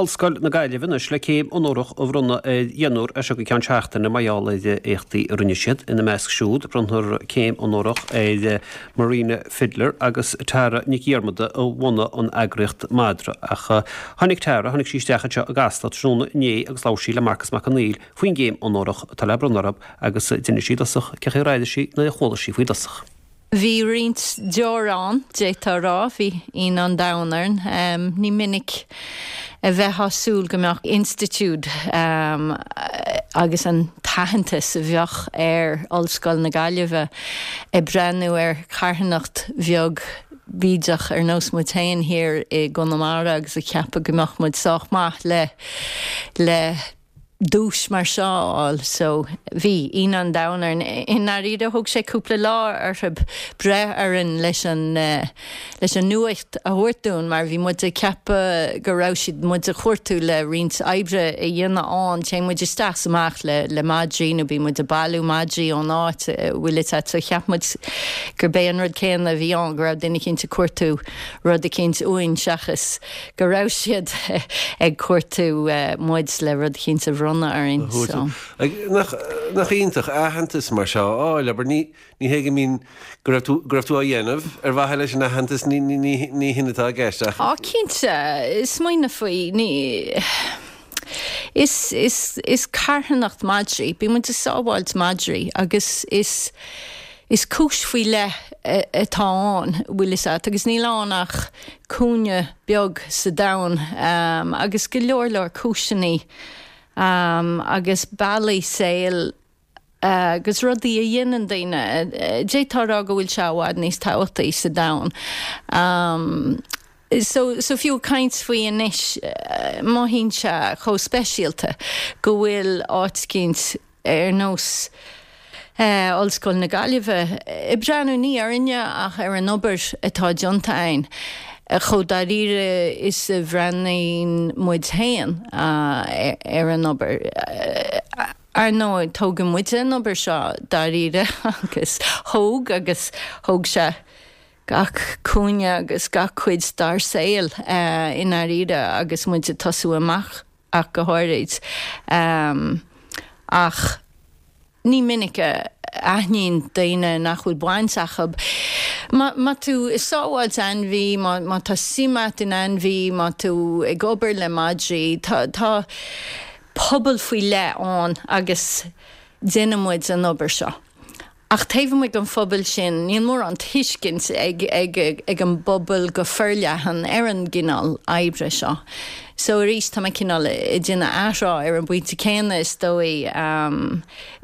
Ollscoil na Gaillimhe anois le céim onórach a bhronnadh ar dheichniúr as seo go ceann seachtaine mar gheall ar éachtaí a rinne siad. Ina measc siúd, bronnfar céim onórach ar Marina Fidler agus Tara Nic Dhiarmada a bhunaigh an eagraíocht Madra. Ach tháinig Tara, tháinig sí isteach anseo i gCasla tráthnóna inné agus labhair sí le Marcas Mac Conghail faoin gcéim onórach atá le bronnadh orthu agus d'inis sí i dtosach cén chaoi ar airigh sí nuair a chuala sí faoi i dtosach. Bhí roinnt deor ann, d'fhéadfá a rá, bhí ionadh an domhain orainn. Ní minic a bheifeá ag súil go mbeadh institiúid agus an t-aitheantas a bheadh ar Ollscoil na Gaillimhe ag breathnú ar charthanacht bheag bídeach ar nós muid féin thiar i gConamara agus ag ceapadh go mbeadh muid sách maith le le duais mar seo a fháil. So, bhí ionadh an domhain orainn. I ndáiríre, thóg sé cúpla lá orthu breith orainn leis an, leis an nuacht a thabhairt dúinn mar bhí muid ag ceapadh go raibh siad muid a chuartú le roinnt oibre a dhéanamh ann. Téann muid isteach is amach le, le madraí nó bíonn muid ag bailiú madraí ón áit a bhfuil a fhios agat. So cheap muid gurb é an rud céanna a bhí ann, go raibh duine eicínt ag cuartú rud eicínt uainn seachas go raibh siad ag cuartú muid le rud eicínt a bhronnadh orainn. So. Nach, nach iontach aitheantas mar seo a fháil, abair, ní, ní hé go mbíonn, go raibh tú, go raibh tú á dhéanamh ar mhaithe leis an aitheantas, ní, ní, ní, ní hin atá i gceist ach. Á, cinnte, smaoineamh faoi, ní, is, is, is carthanacht madraí, bíonn muid ag sábháilt madraí agus is, Is cúis faoi leith atá ann, bhfuil fhios a't, agus níl ann ach cúinne beag sa domhan, agus go leor leor cúiseannaí agus bealaí saoil agus rudaí a dhéanann daoine, d'fhéadfá a rá go bhfuil sé i bhfad níos tábhachtaí sa domhan. So, so fiú ag caint faoi anois, mothaíonn sé chomh speisialta go bhfuil áit eicínt ar nós Ollscoil na Gaillimhe, ag breathnú ní orainne ach ar an obair atá déanta againn, chomh dáiríre is a bhreathnaíonn muid féin ar an obair. Ar ndóigh, tógann muide an obair seo dáiríre agus thóg agus thóg sé gach cúinne agus gach cuid dár saol i ndáiríre agus muid ag tosú amach. ach go háirid. Ach ní minic a aithníonn daoine nach bhfuil baint acu. Má tú ag sábháilt ainmhí, má tá suim a't in ainmhí, má tú ag obair le madraí, tá tá pobal faoi leith ann agus déanann muid an obair seo. Ach taobh amuigh den phobal sin, níl mórán tuiscint ag ag an bpobal go forleathan ar an gcineál oibre seo. So arís, tá mé cineál ag déanamh athrá ar an bpointe céanna, is dóigh.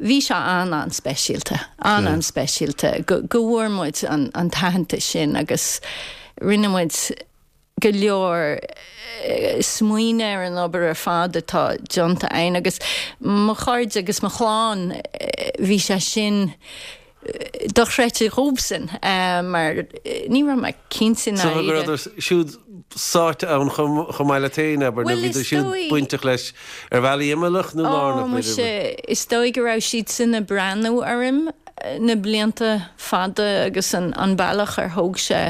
Bhí sé an-an-speisialta, an-an-speisialta go go bhfuair muid an an t-aitheantas sin agus rinne muid, go leor smaoineamh ar an obair ar fad atá déanta againn agus mo chairde agus mo chlann, bhí sé sin dochreidte dhóibhsean mar ní raibh mé cinnte i ndáiríre. So go rabhadar siúd sáite ann chomh maith leat féin, abair, nó bhíodar siúd bainteach leis ar bhealaí imeallach nó lárnach, b'fhéidir? Ó, muise, is dóigh go raibh siadsan ag breathnú orm na blianta fada agus an bealach ar thóg sé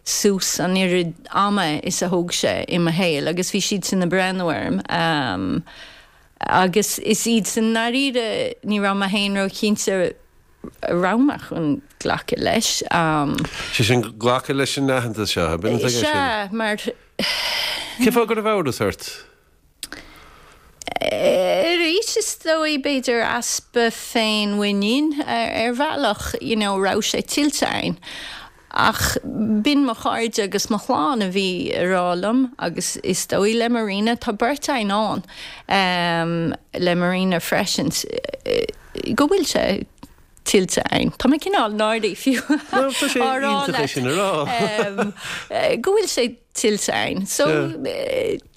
suas an oiread ama is a thóg sé i mo shaol agus bhí siadsan ag breathnú orm agus is iadsan i ndáiríre ní raibh mé féin róchinnte an raibh mé chun glacadh leis. Sé sin glacadh leis an aitheantas seo, ab in atá i gceist? Sea, mar. Cén fáth go raibh amhras ort? Arís, is dóigh, b'fhéidir easpa féinmhuinín ar bhealach, you know, raibh sé tuillte againn. Ach b'in mo chairde agus mo chlann a bhí ag rá liom agus is dóigh le Marina, tá beirt againn ann le Marina freisin, go bhfuil sé tuillte againn. Tá mé cineál náirithe fiú á rá leat go bhfuil sé tuillte againn. So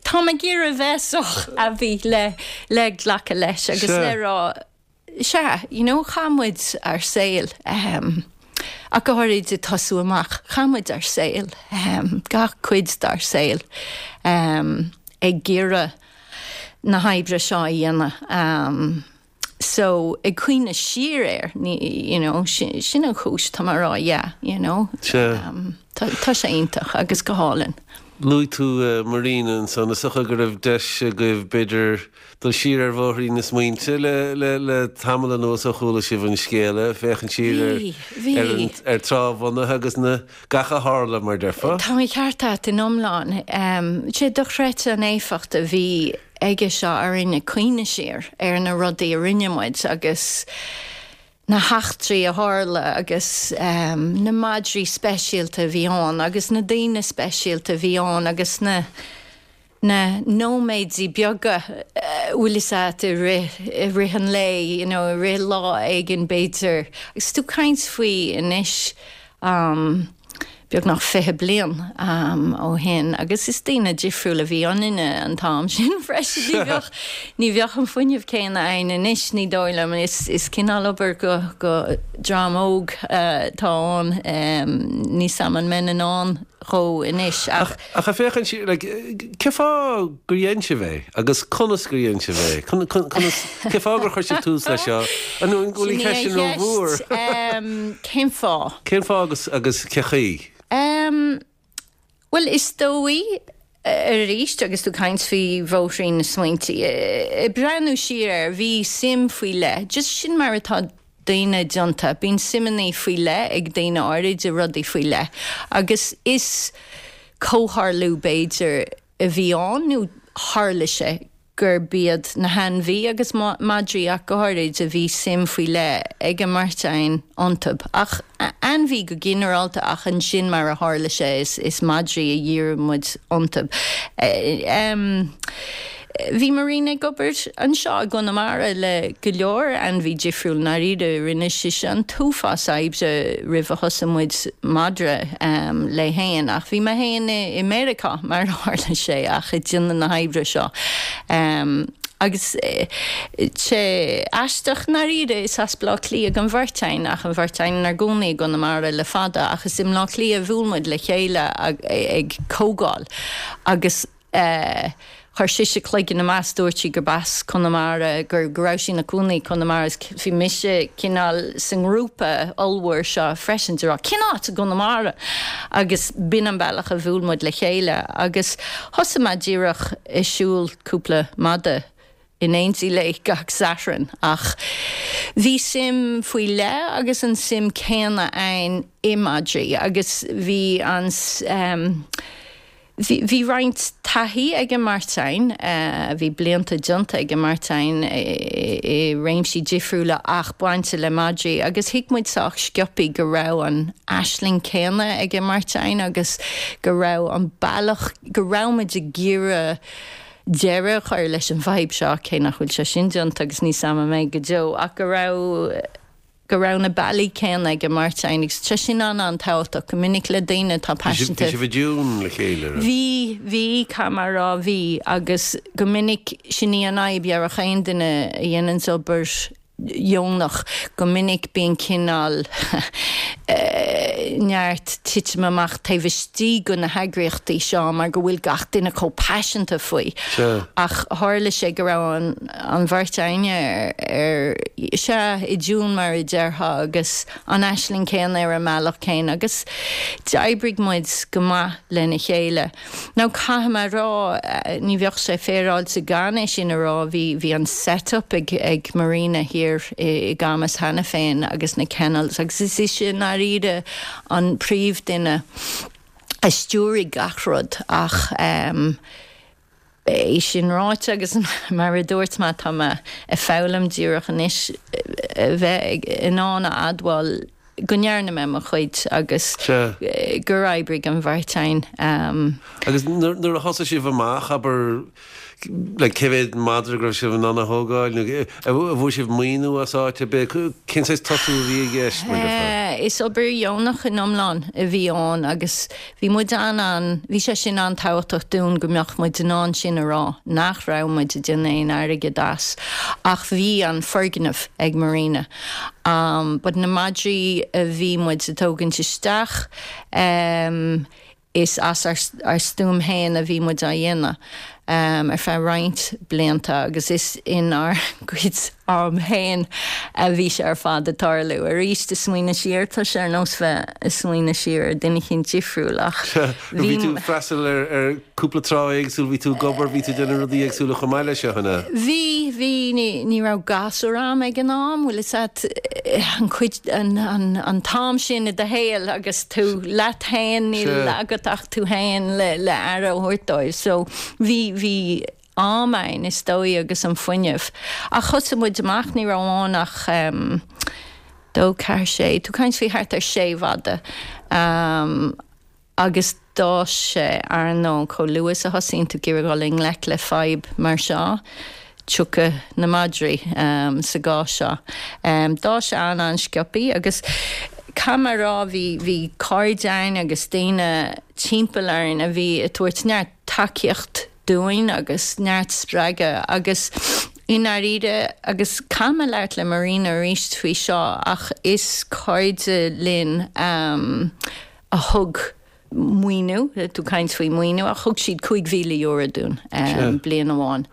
tá mé ag iarraidh a bheith sách aibí le le glacadh leis agus le rá sea, you know, chaith muid ár saol ach go háirid ag tosú amach, chaith muid ár saol, gach cuid dár saol ag iarraidh na hoibre seo a dhéanamh. So, ag cuimhneamh siar air, ní, you know, sin, sin an chúis, tá mé ag rá yeah, you know. Sea. Tá, tá sé iontach agus go hálainn. Luaigh tú Marina ansan, is dócha go raibh deis agaibh b'fhéidir dul siar ar bhóithrín na smaointe le le le tamall anuas ó chuala sibh an scéala, féachaint siar ar Bhí, ar an bhí. ar tráth a bhunaithe agus na gach a tharla mar déarfá. Tá an ceart agat in iomlán. Sé dochreidte an éifeacht a bhí aige seo orainn ag cuimhneamh siar ar na rudaí a rinne muid agus na heachtraí a tharla agus na madraí speisialta a bhí ann agus na daoine speisialta a bhí ann agus na na nóiméidí beaga bhfuil fhios a't i rith i rith an lae you know i rith lá éigin b'fhéidir agus tú caint faoi anois beagnach 20 bliain ó shin agus is daoine difriúla a bhí ionainne an t-am sin freisin. Ní bheadh, ní bheadh an fuinneamh céanna againn anois, ní dóigh liom. Is, is cineál obair go, go dream óg atá ann. Níl 'fhios a'm an mbeinn in ann dhó anois ach. Ach ag féachaint siar, like, cé fáth gur dhein sibh é agus conas gur dhein sibh é? Conas, cé fáth gur chuir sibh tús leis seo? An bhfuil an cheist sin rómhór? Cén fáth? Cén fáth agus, agus cé chaoi? Bhuel, is dóigh, arís, agus tú ag caint faoi bhóithrín na smaointe, ag breathnú siar air, bhí suim faoi leith, just sin mar atá daoine déanta, bíonn suimeanna faoi leith ag daoine áirid i rudaí faoi leith agus is comhtharlú b'fhéidir a bhí ann nó tharla sé gurb iad na hainmhí agus madraí ach go háirid a bhí suim faoi leith ag an mbeirt againn iontu. Ach ainmhí go ginearálta ach ansin mar a tharla sé is madraí a dhírigh muid iontu. Bhí Marina ag obair anseo i gConamara le go leor ainmhí difriúil, i ndáiríre. Rinne sise an t-uafás oibre roimh a thosaigh muid madra léi fhéin ach bhí mé fhéin i Meiriceá mar a tharla sé ach ag déanamh na hoibre seo. Agus sé aisteach i ndáiríre is as Bleá Cliath don bheirt againn ach an bheirt againn inár gcónaí i gConamara le fada ach is i mBleá Cliath a bhuail muid le chéile ag comhdháil agus Chuir sise cloigeann amach is dúirt sí gurb as Conamara, go raibh sí ina cónaí i gConamara is bhí mise cineál sa ngrúpa ollmhór seo freisin de rá cén áit i gConamara? Agus b'in an bealach a bhuail muid le chéile agus thosaigh mé díreach ag siúl cúpla mada in éindí léi gach Satharn ach bhí suim faoi leith agus an suim céanna againn i madraí agus bhí an Bhí, bhí roinnt taithí ag an mbeirt againn, bhí blianta déanta ag an mbeirt againn i réimsí difriúla ach bainte le madraí agus thuig muid sách sciobthaí go raibh an aisling céanna ag an mbeirt againn agus go raibh an bealach, go raibh muid ag iarraidh deireadh a chur leis an bhfadhb seo, cé nach bhfuil sé sin déanta agus níl 's a'm an mbeidh go deo, ach go raibh. go raibh na bealaí céanna ag an mbeirt againn agus tá sin an-an-tábhachtach go minic le daoine atá paiseanta. Bhí sibh i dtiún le chéile, raibh? Bhí, bhí, caithfidh mé a rá, bhí agus go minic sin í an fhadhb, dhéarfadh aon duine a dhéananns obair dheonach, go minic bíonn cineál neart titim amach taobh istigh de na heagraíochtaí seo mar go bhfuil gach duine chomh paiseanta faoi. Ach tharla sé go raibh an. an bheirt againne ar, sea, i dtiún mar a déarfá agus an aisling céanna ar an mbealach céanna agus d'oibrigh muid go maith lena chéile. Now caithfidh mé a rá, ní bheadh sé féaráilte gan é sin a rá, bhí, bhí an set up ag, ag Marina thiar i gCamus cheana féin agus na kennels agus is ise i ndáiríre an príomhdhuine a stiúraigh gach rud ach ehm, É sin ráite, agus mar a dúirt mé, tá mé ag foghlaim díreach anois a bheith in ann a admháil go ndearna mé mo chuid agus gur oibrigh an bheirt againn. Agus nuair a thosaigh sibh amach, abair, like, cé mhéad madra go raibh sibh in ann a thógáil nó an bhfuair sibh maoiniú as áit ar bith? Cén saghas tosú a bhí i gceist, mar a déarfá? Is obair dheonach in iomlán a bhí ann agus Bhí muid an-an, bhí sé sin an-tábhachtach dúinn go mbeadh muid in ann sin a rá, nach raibh muid ag déanamh aon airgead as ach bhí an foirgneamh ag Marina. But na madraí a bhí muid ag tógaint isteach, is as ár stuaim féin a bhí muid á dhéanamh. ar feadh roinnt blianta agus is inár gcuid am féin a bhí sé ar fad ag tarlú. Arís, ag smaoineamh siar, tá sé ar nós bheith ag smaoineamh siar ar duine eicínt difriúil ach bhí. Bhí tú ag freastal ar cúpla trá éagsúil, bhí tú ag obair, bhí tú ag déanamh rudaí éagsúla chomh maith leis seo, an ea? Bhí, bhí, ní raibh gasúr a'm ag an am, bhfuil fhios a'd, an cuid, an t-am sin i do shaol agus tú leat féin, níl agat ach tú féin le le aire a thabhairt dóibh. So bhí, bhí am ann is dóigh agus an fuinneamh. Ach thosaigh muid amach, ní raibh ann ach em dó, ceathair, sé, tú ag caint faoi thart ar sé mhadadh. Em agus d'fhás sé, ar ndóigh, chomh luath is a thosaíonn tú ag iarraidh dhul i ngleic le fadhb mar seo, tiocfaidh na madraí sa gcás seo. D'fhás sé an-an-sciobthaí agus caithfidh mé a rá bhí bhí cairde ann agus daoine timpeall orainn a bhí ag tabhairt neart tacaíocht dúinn agus neart spreagadh agus i ndáiríre agus caithfidh mé labhairt le Marina arís faoi seo ach is cairde linn a thug maoiniú, tú ag caint faoi maoiniú, ach thug siad €5,000 dúinn bliain amháin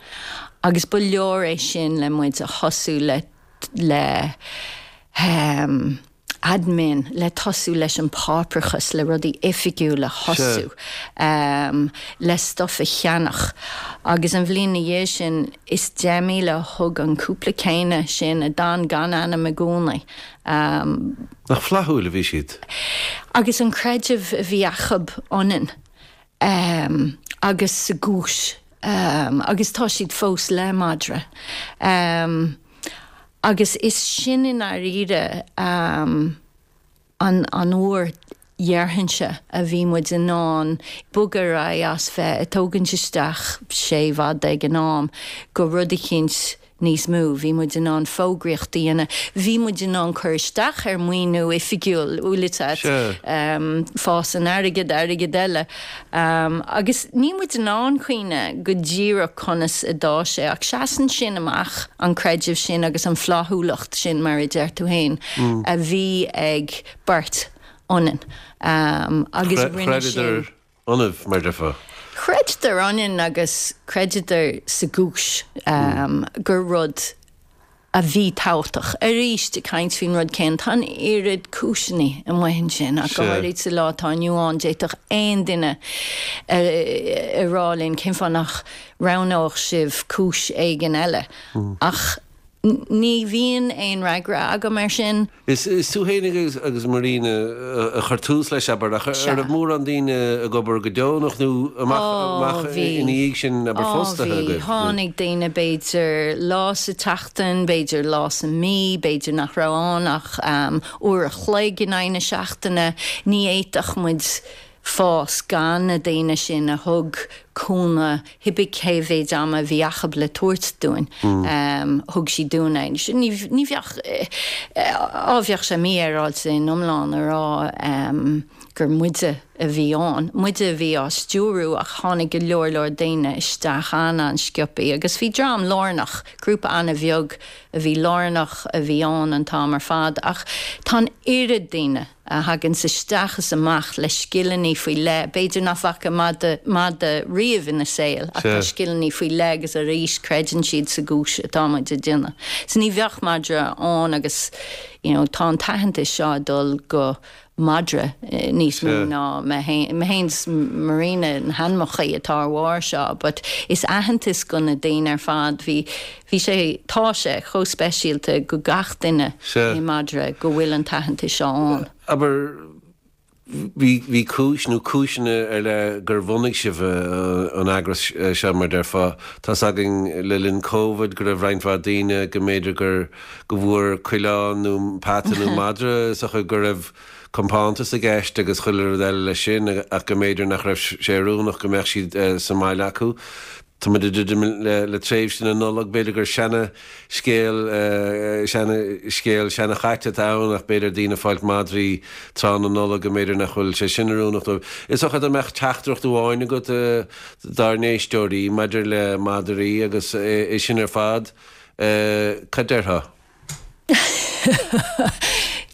agus ba leor é sin le muid a thosú le le admin, le tosú leis an páipéarachas, le rudaí oifigiúla a thosú, le stuff a cheannach. Agus an bhliain ina dhiaidh sin, is 10,000 a thug an cúpla céanna sin a d'fhan gan ainm i gcónaí. Nach flaithiúil a bhí siad. Agus an creideamh a bhí acub ionainn agus sa gcúis agus tá siad fós le Madra. Agus is sin i ndáiríre an uair dhéarfainnse a bhí muid in ann bogadh ar aghaidh as bheith ag tógaint isteach sé mhadadh ag an am go rud eicínt níos mó. Bhí muid in ann fógraíocht a dhéanamh. Bhí muid in ann cur isteach ar maoiniú oifigiúil, bhfuil fhios a'd, fásann airgead, airgead eile. Agus níl muid in ann cuimhneamh go díreach conas a d'fhás sé ach seasann sin amach, an creideamh sin agus an flaithiúlacht sin mar a deir tú féin a bhí ag beirt ionainn agus rinne sin. Chreideadar ionaibh, mar déarfá. Chreideadar ionainn agus chreideadar sa gcúis gur rud a bhí tábhachtach. Arís, ag caint faoin rud céanna, tá an oiread cúiseanna amuigh ansin ach go háirid sa lá atá inniu ann, d'fhéadfadh aon duine a rá linn cén fáth nach roghnódh sibh cúis éigin eile ach ní bhíonn aon fhreagra agam air sin. Is tú féin agus Marina a chuir tús leis, abair, ach an raibh mórán daoine ag obair go deonach nó amach ina dhiaidh sin, abair, fostaithe agaibh? Ó bhí. Tháinig daoine b'fhéidir lá sa tseachtain, b'fhéidir lá sa mí, b'fhéidir nach raibh ann ach uair a chloig in aghaidh na seachtaine. Ní fhéadfadh muid fás gan na daoine sin a thug cúnamh, cibé cé mhéid ama a bhí acub le tabhairt dúinn, thug siad dúinn é. Ní bheadh, á bheadh sé mífhéaráilte in iomlán a rá gur muide a bhí ann, muide a bhí á stiúrú ach tháinig go leor leor daoine isteach an-an-sciobthaí agus bhí dream lárnach, grúpa an-bheag a bhí lárnach a bhí ann an t-am ar fad ach tá an oiread daoine a thaganns isteach is amach le scileanna faoi leith, b'fhéidir nach bhfaca madadh riamh ina saol ach tá scileanna faoi leith agus arís creideann siad sa gcúis atá muid ag déanamh. So ní bheadh Madra ann agus you know tá an t-aitheantas seo ag dul go Madra níos mó ná mé féin, mé féin is Marina na hainmneacha atá ar bharr seo but is aitheantas go na daoine ar fad, bhí Bhí sé, tá sé, chomh speisialta go gach duine i Madra go bhfuil an t-aitheantas seo ann. Abair, bhí, bhí cúis nó cúiseanna ar leith gur bhunaigh sibh an eagras seo, mar déarfá. Tá's againn le linn Covid go raibh roinnt mhaith daoine go mb'fhéidir gur, go bhfuair coileán nó peata nó madra is dócha go raibh compántas i gceist agus chuile rud eile leis sin ach go mb'fhéidir nach raibh sé oiriúnach go mbeadh siad sa mbaile acu. Tá muid ag druidim le tréimhse na Nollag, b'fhéidir gur seana scéal, seana scéal, seana chaite atá ann ach b'fhéidir daoine ag fáilt madraí tráth na Nollag go mb'fhéidir nach bhfuil sé sin oiriúnach dóibh. Is dócha dá mbeadh teachtaireacht amháin agat dár n-éisteoirí maidir le madraí agus é sin ar fad, cad déarfá?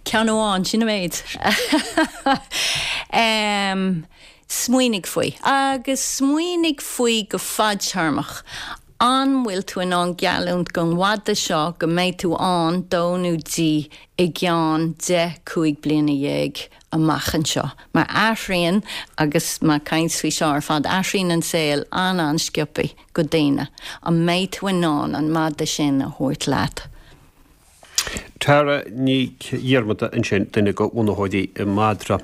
Ceann amháin, sin an méid. Smaoinigh faoi. Agus smaoinigh faoi go fadtéarmach. An bhfuil tú in ann geallúint don mhadra seo go mbeidh tú ann dó nó di i gceann 10, 15 bliana amach anseo? Mar athraíonn, agus mé ag caint faoi seo ar fad, athraíonn an saol an-an-sciobtha do daoine. An mbeidh tú in ann an madra sin a thabhairt leat? Tara Nic Dhiarmada ansin, duine de bhunaitheoirí Madra.